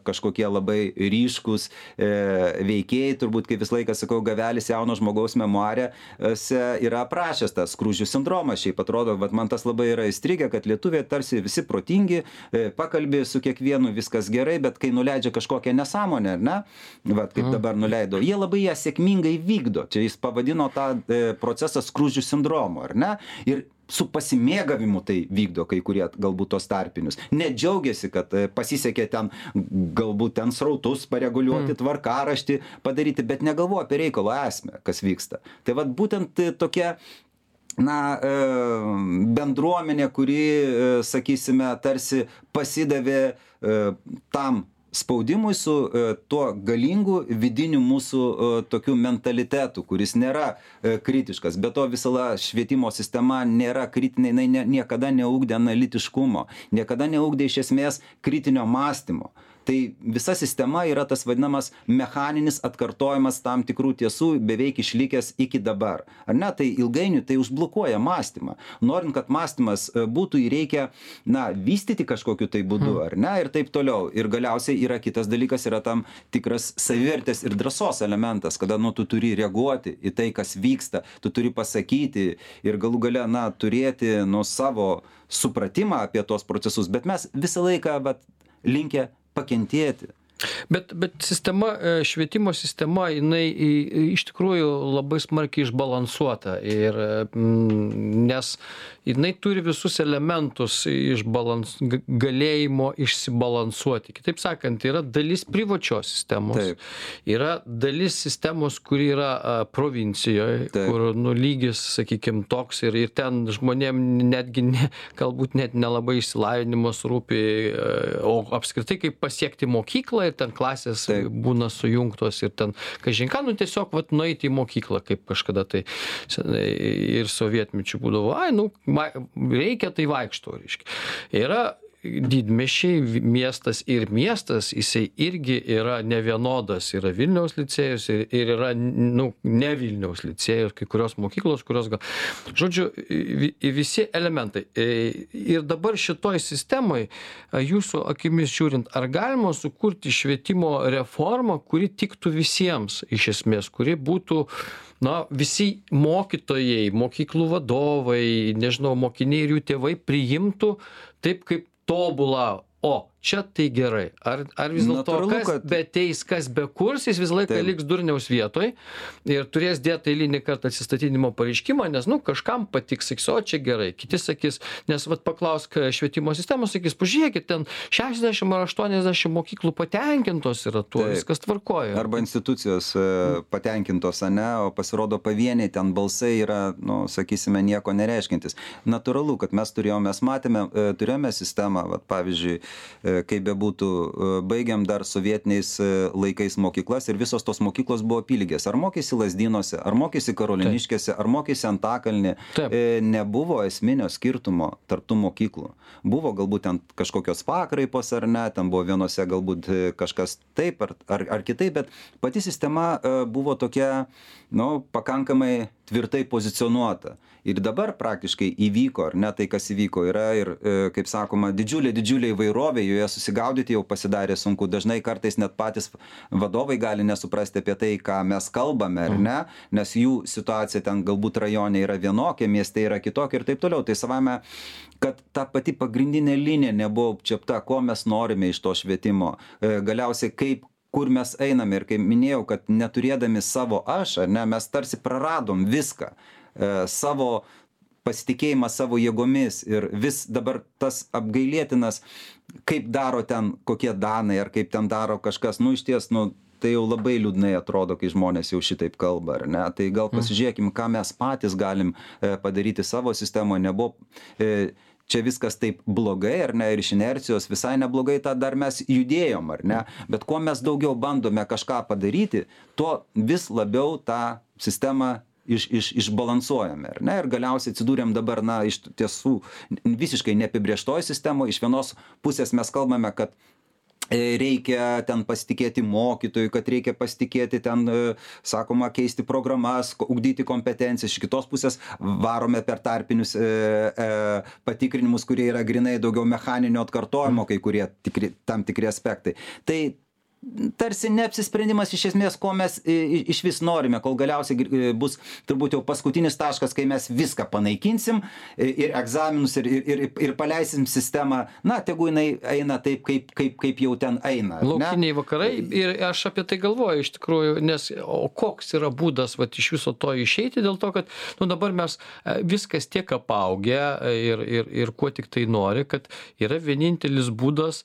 kažkokie labai ryškus veikėjai, turbūt, kaip vis laiką sakau, Gavelis jauno žmogaus memoare yra aprašęs tą Skruzdžių sindromą. Šiaip atrodo, man tas labai yra įstrigę, kad lietuviai tarsi visi protingi, pakalbė su kiekvienu, viskas gerai, bet kai nuleidžia kažkokią nesąmonę, ne, kaip dabar nuleido, jie labai ją sėkmingai vykdo. Čia jis pavadino tą procesą Skruzdžių sindromu, ar ne? Ir su pasimėgavimu tai vykdo kai kurie galbūt tos tarpinius. Nedžiaugiasi, kad pasisekė ten galbūt ten srautus pareguliuoti, tvarkaraštį padaryti, bet negalvoja apie reikalo esmę, kas vyksta. Tai būtent tokia bendruomenė, kuri, sakysime, tarsi pasidavė tam spaudimui su tuo galingu vidiniu mūsų tokiu mentalitetu, kuris nėra kritiškas. Be to visala švietimo sistema nėra kritinė, jinai niekada neugdė analitiškumo, niekada neugdė iš esmės kritinio mąstymo. Tai visa sistema yra tas vadinamas mechaninis atkartojimas tam tikrų tiesų beveik išlikęs iki dabar. Ar ne, tai ilgainiui tai užblokuoja mąstymą. Norint, kad mąstymas būtų, jį reikia, vystyti kažkokiu tai būdu, ar ne, ir taip toliau. Ir galiausiai yra kitas dalykas, yra tam tikras savivertės ir drąsos elementas, kada, tu turi reaguoti į tai, kas vyksta, tu turi pasakyti ir galų gale, turėti savo supratimą apie tos procesus, bet mes visą laiką linkę pakentėti. Bet sistema, švietimo sistema, jinai iš tikrųjų labai smarkiai išbalansuota, nes jinai turi visus elementus galėjimo išsibalansuoti. Kitaip sakant, yra dalis privačios sistemos, taip, yra dalis sistemos, kuri yra provincijoje, taip, kur lygis, sakykime, toks ir ten žmonėm netgi galbūt net nelabai išsilavinimas rūpi, o apskritai kaip pasiekti mokyklą, ten klasės taip būna sujungtos ir ten kažinką, tiesiog nueiti į mokyklą, kaip kažkada tai ir sovietmečių būdavo, reikia tai vaikšto, reiškia. Yra didmiesčiai, miestas ir miestas, jisai irgi yra nevienodas, yra Vilniaus licėjus ir yra, ne Vilniaus licėjus, kai kurios mokyklos, kurios žodžiu, visi elementai. Ir dabar šitoj sistemoj, jūsų akimis žiūrint, ar galima sukurti švietimo reformą, kuri tiktų visiems, iš esmės, kuri būtų, visi mokytojai, mokyklų vadovai, nežinau, mokiniai ir jų tėvai priimtų taip kaip tobulą, čia tai gerai? Ar vis dėlto Natūralu, kas kad- beteis, kas bekurs, jis visą laiką Taip. liks durniaus vietoj ir turės dėti eilinį kartą atsistatydinimo pareiškimą, nes, kažkam patiks, sakys, o čia gerai. Kiti sakys, nes paklausk švietimo sistemos, sakys, pažiūrėkit, ten 60 ar 80 mokyklų patenkintos yra tuo, Taip. viskas tvarkoja. Arba institucijos patenkintos, ane, o pasirodo pavieniai ten balsai yra, sakysime, nieko nereiškintis. Natūralu, kad mes turėjome sistemą, pavyzdžiui, kaip bebūtų, baigiam dar sovietiniais laikais mokyklas ir visos tos mokyklos buvo apylygės. Ar mokėsi Lazdynuose, ar mokėsi Karoliniškėse, ar mokėsi Antakalny. Nebuvo esminio skirtumo tarp tų mokyklų. Buvo galbūt ten kažkokios pakraipos ar ne, ten buvo vienose galbūt kažkas taip ar kitaip, bet pati sistema buvo tokia, pakankamai tvirtai pozicionuota. Ir dabar praktiškai įvyko, ar ne, tai kas įvyko, yra ir, kaip sakoma, didžiulė įvairovė, joje susigaudyti jau pasidarė sunku. Dažnai kartais net patys vadovai gali nesuprasti apie tai, ką mes kalbame, ar ne, nes jų situacija ten galbūt rajone yra vienokia, mieste yra kitokia ir taip toliau. Tai savame, kad ta pati pagrindinė linija nebuvo apčiapta, ko mes norime iš to švietimo. Galiausiai kur mes einame ir kaip minėjau, kad neturėdami savo aš, ar ne, mes tarsi praradom viską. Savo pasitikėjimą savo jėgomis ir vis dabar tas apgailėtinas, kaip daro ten kokie danai ar kaip ten daro kažkas, iš ties, tai jau labai liūdnai atrodo, kai žmonės jau šitaip kalba, ar ne? Tai gal pasižiūrėkim, ką mes patys galim padaryti savo sistemoje, nebuvo čia viskas taip blogai, ar ne, ir iš inercijos visai neblogai, tą dar mes judėjom, ar ne, bet kuo mes daugiau bandome kažką padaryti, tuo vis labiau tą sistemą išbalansuojame, ar ne, ir galiausiai atsidūrėm dabar, iš tiesų visiškai neapibrėžtoj sistemoje. Iš vienos pusės mes kalbame, kad reikia ten pasitikėti mokytojui, kad reikia pasitikėti ten, sakoma, keisti programas, ugdyti kompetencijas. Iš kitos pusės varome per tarpinius patikrinimus, kurie yra grinai daugiau mechaninio atkartojimo, kai kurie tam tikri aspektai. Tai tarsi neapsisprendimas iš esmės, ko mes iš vis norime, kol galiausiai bus turbūt jau paskutinis taškas, kai mes viską panaikinsim ir egzaminus ir paleisim sistemą, tegu jinai eina taip, kaip jau ten eina. Laukiniai vakarai ir aš apie tai galvoju iš tikrųjų, nes koks yra būdas iš viso to išeiti, dėl to, kad dabar mes viskas tiek apaugę ir kuo tik tai nori, kad yra vienintelis būdas,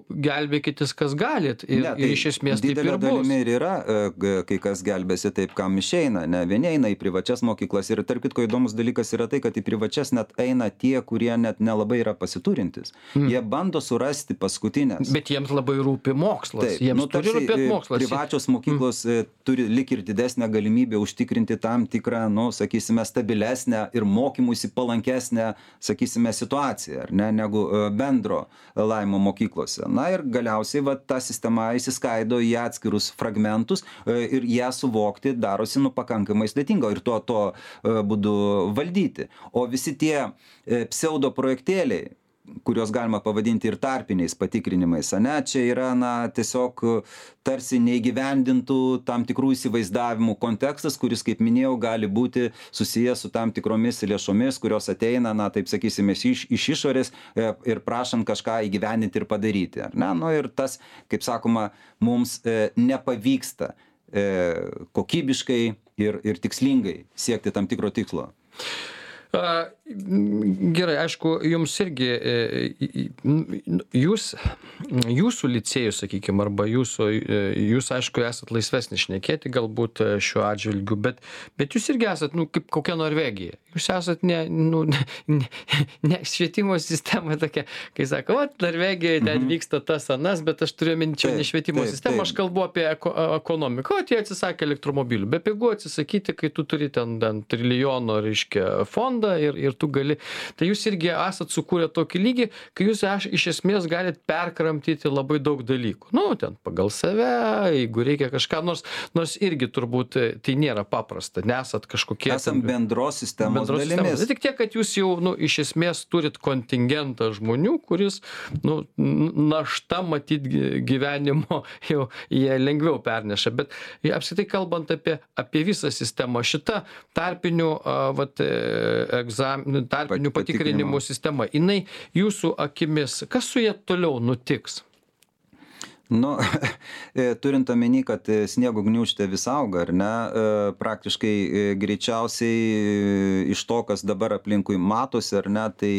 gelbėkitės kas galit. Ir iš esmės taip ir bus. Didelė dalimi ir yra, kai kas gelbėsi taip, kam išeina. Vieni eina į privačias mokyklas ir tarp kitko įdomus dalykas yra tai, kad į privačias net eina tie, kurie net nelabai yra pasiturintis. Jie bando surasti paskutinės. Bet jiems labai rūpi mokslas. Jiems turi rūpėti mokslas. Privačios mokyklos turi lik ir didesnę galimybę užtikrinti tam tikrą, sakysime, stabilesnę ir mokymuisi palankesnę, sakysime, situaciją, ar ne, negu bendro laimo mokyklose. Ir galiausiai ta sistema įsiskaido į atskirus fragmentus ir ją suvokti darosi pakankamai sudėtinga ir tuo būdu valdyti. O visi tie pseudo projektėliai, kuriuos galima pavadinti ir tarpiniais patikrinimais, čia yra tiesiog tarsi neįgyvendintų tam tikrų įsivaizdavimų kontekstas, kuris, kaip minėjau, gali būti susijęs su tam tikromis lėšomis, kurios ateina, taip sakysime, iš išorės ir prašant kažką įgyvendinti ir padaryti. Ir tas, kaip sakoma, mums nepavyksta kokybiškai ir tikslingai siekti tam tikro tikslo. Gerai, aišku, jums irgi, jūsų licėjus, sakykime, arba jūs, aišku, esat laisvesnis šnekėti galbūt šiuo atžvilgiu, bet jūs irgi esat, kaip kokia Norvegija. Jūs esat ne švietimo sistema tokia, kai sako, Norvegijoje ten vyksta tas anas, bet aš turiu minčiau ne švietimo sistemą, aš kalbu apie ekonomiką. Jie atsisakė elektromobilių. Bepigu atsisakyti, kai tu turi ten trilijono, reiškia, fondą ir tu gali. Tai jūs irgi esat sukūrę tokį lygį, kai jūs iš esmės galit perkramtyti labai daug dalykų. Ten pagal save, jeigu reikia kažką, nors irgi turbūt tai nėra paprasta, nesat kažkokie... Esam bendros sistemos dalimis. Tik tiek, kad jūs jau, iš esmės turit kontingentą žmonių, kuris, našta matyt gyvenimo jau jie lengviau perneša. Bet apskritai kalbant apie visą sistemą, šita tarpinių tarpinių patikrinimų sistema, jinai jūsų akimis, kas su ja toliau nutiks? Nu, turint omeny, kad sniego gniūžtė vis auga, ar ne, praktiškai greičiausiai iš to, kas dabar aplinkui matosi, ar ne, tai,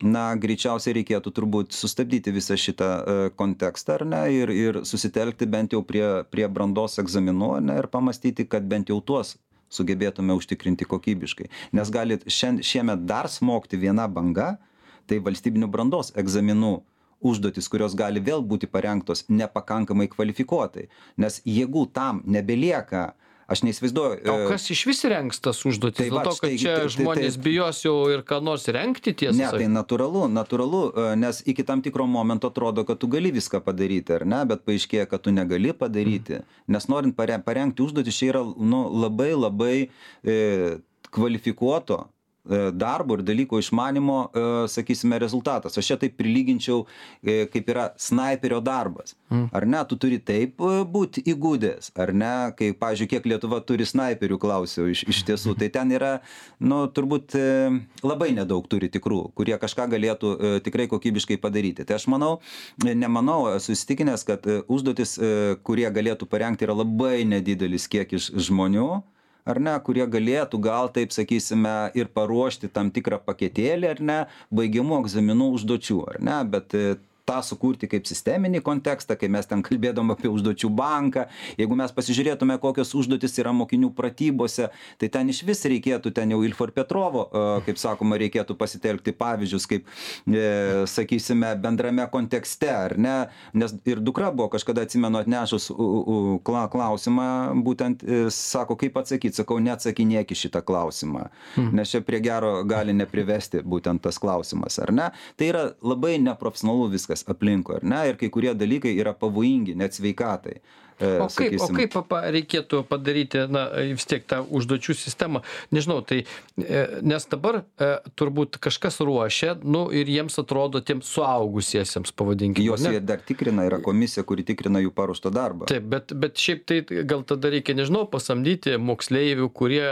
na, greičiausiai reikėtų turbūt sustabdyti visą šitą kontekstą, ar ne, ir susitelkti bent jau prie brandos egzaminų, ar ne, ir pamastyti, kad bent jau tuos sugebėtume užtikrinti kokybiškai. Nes gali šiemet dar smogti viena banga, tai valstybinių brandos egzaminų užduotis, kurios gali vėl būti parengtos nepakankamai kvalifikuotai. Nes jėgų tam nebelieka, aš neįsivaizduoju. O kas iš vis rengs tas užduotis? Tai dėl to, kad čia žmonės bijos jau ir ką nors rengti tiesą? Ne, tai natūralu, nes iki tam tikro momento atrodo, kad tu gali viską padaryti, ar ne, bet paaiškėja, kad tu negali padaryti. Nes norint parengti užduotis, čia yra labai kvalifikuoto darbo ir dalyko išmanimo, sakysime, rezultatas. Aš čia taip prilyginčiau, kaip yra snaiperio darbas. Ar ne, tu turi taip būti įgudęs, ar ne, kai, pavyzdžiui, kiek Lietuva turi snaiperių, klausiau iš tiesų, tai ten yra, nu, turbūt labai nedaug turi tikrų, kurie kažką galėtų tikrai kokybiškai padaryti. Tai aš nemanau, esu įsitikinęs, kad užduotis, kurie galėtų parengti, yra labai nedidelis kiekis žmonių, ar ne, kurie galėtų gal, taip sakysime, ir paruošti tam tikrą paketėlį, ar ne, baigiamų egzaminų užduočių, ar ne, bet tą sukurti kaip sisteminį kontekstą, kai mes ten kalbėdom apie užduočių banką, jeigu mes pasižiūrėtume, kokios užduotis yra mokinių pratybose, tai ten iš vis reikėtų, ten jau Ilfo ir Petrovo, kaip sakoma, reikėtų pasitelkti pavyzdžius, kaip, sakysime, bendrame kontekste, ar ne, nes ir dukra buvo kažkada, atsimenu, atnešus klausimą, būtent sako, kaip atsakyti, sakau, neatsakinėk į šitą klausimą, nes čia prie gero gali neprivesti būtent tas klausimas, ar ne, tai yra labai neprofesionalu viskas aplinkui, ar ne, ir kai kurie dalykai yra pavojingi, net sveikatai. O kaip reikėtų padaryti, na, vis tiek tą užduočių sistemą? Nežinau, tai, nes dabar turbūt kažkas ruošia, nu, ir jiems atrodo tiems suaugusiesiems, pavadinkime. Jos jie dar tikrina, yra komisija, kuri tikrina jų paruoštą darbą. Taip, bet šiaip tai gal tada reikia, nežinau, pasamdyti moksleivių, kurie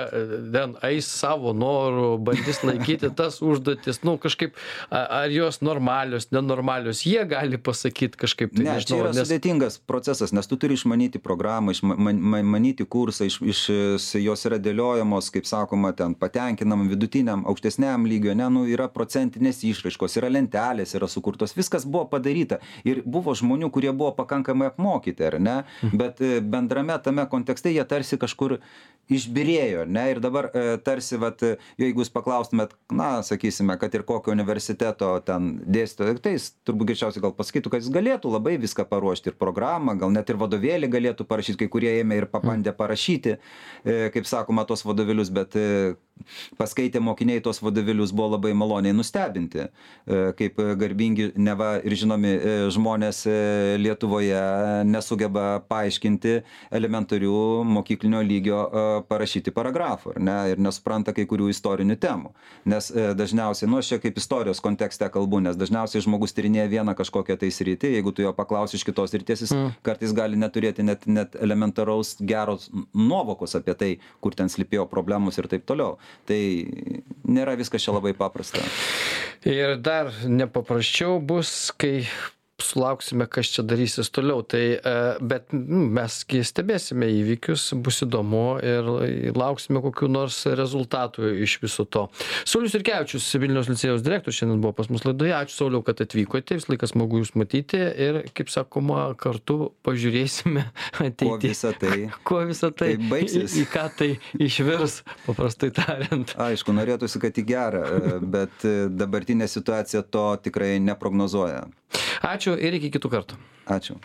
ten eis savo norų, bandys laikyti tas užduotis, nu, kažkaip, ar jos normalios, nenormalios, jie gali pasakyti kažkaip. Tai, ne, čia yra sudėtingas procesas, nes tu turi išmanyti programą, išmanyti kursą, jos yra dėliojamos, kaip sakoma, ten patenkinam, vidutiniam, aukštesniam lygio, ne, nu, yra procentinės išraiškos, yra lentelės, yra sukurtos, viskas buvo padaryta ir buvo žmonių, kurie buvo pakankamai apmokyti, ar ne, bet bendrame tame kontekste jie tarsi kažkur išbyrėjo, ne, ir dabar tarsi, vat, jeigu jūs paklaustumėt, na, sakysime, kad ir kokio universiteto ten dėstytojo, tai jis turbūt greičiausiai gal pasakytų, kad jis galėtų labai viską paruošti ir programą, gal net ir vadovėlį galėtų parašyti, kai kurie ėmė ir pabandė parašyti, kaip sakoma, tos vadovėlius, bet paskaitę mokiniai tos vadovėlius buvo labai maloniai nustebinti, kaip garbingi neva ir žinomi žmonės Lietuvoje nesugeba paaiškinti elementarių mokyklinio lygio parašyti paragrafų, ar ne, ir nesupranta kai kurių istorinių temų. Nes dažniausiai, nu, aš čia kaip istorijos kontekste kalbu, nes dažniausiai žmogus tyrinėja vieną kažkokią tai sritį, jeigu tu jo paklausi iš kitos srities, jis kartais gali neturėti net elementaraus geros nuovokos apie tai, kur ten slypėjo problemos ir taip toliau. Tai nėra viskas čia labai paprasta. Ir dar nepaprasčiau bus, kai sulauksime, kas čia darysis toliau. Tai, bet mes stebėsime įvykius, bus įdomu ir lauksime kokių nors rezultatų iš viso to. Saulius Jurkevičius, Vilniaus licėjaus direktorius, šiandien buvo pas mus laidoje. Ačiū, Sauliau, kad atvykote. Vis laikas smagu jūs matyti ir, kaip sakoma, kartu pažiūrėsime ateityje. Kuo visą tai baigsis. Į ką tai išvirs, paprastai tariant. Aišku, norėtųsi, kad į gerą, bet dabartinė situacija to tikrai neprognozuoja. Ačiū ir iki kitų kartų. Ačiū.